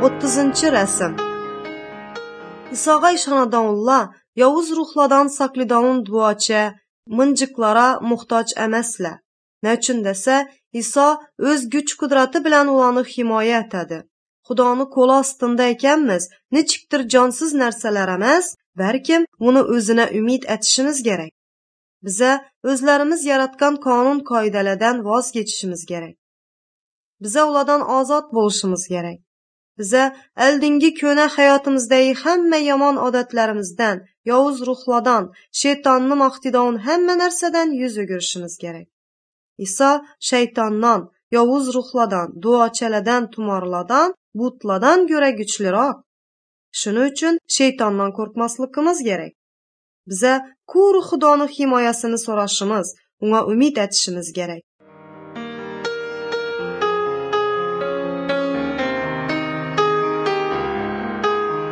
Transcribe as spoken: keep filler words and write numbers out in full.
O'ttizinchi rasm. İsoga ishonadiganlar yovuz ruhlardan saqlaydigan duocha, mınjiqlara muhtoj emaslar. Nechun desa, Iso o'z kuch-qudrati bilan ularni himoya etadi. Xudoni qo'li ostida ekanmiz, nechikdir jonsiz narsalar emas, balkim uni o'zina umid etishimiz kerak. Biza o'zlarimiz yaratgan qonun qoidalardan voz kechishimiz kerak. Biza ulardan ozod bo'lishimiz kerak. Biza oldingi ko'na hayotimizdagi hamma yomon odatlarimizdan, yovuz ruhlardan, shaytonni maqtaydigan hamma narsadan yuz o'girishimiz kerak. Iso shaytondan, yovuz ruhlardan, duochalardan, tumorlardan, butlardan ko'ra kuchliroq. Shuning uchun shaytondan qo'rqmasligimiz kerak. Biza quruq Xudoni himoyasini so'rashimiz, unga umid etishimiz kerak.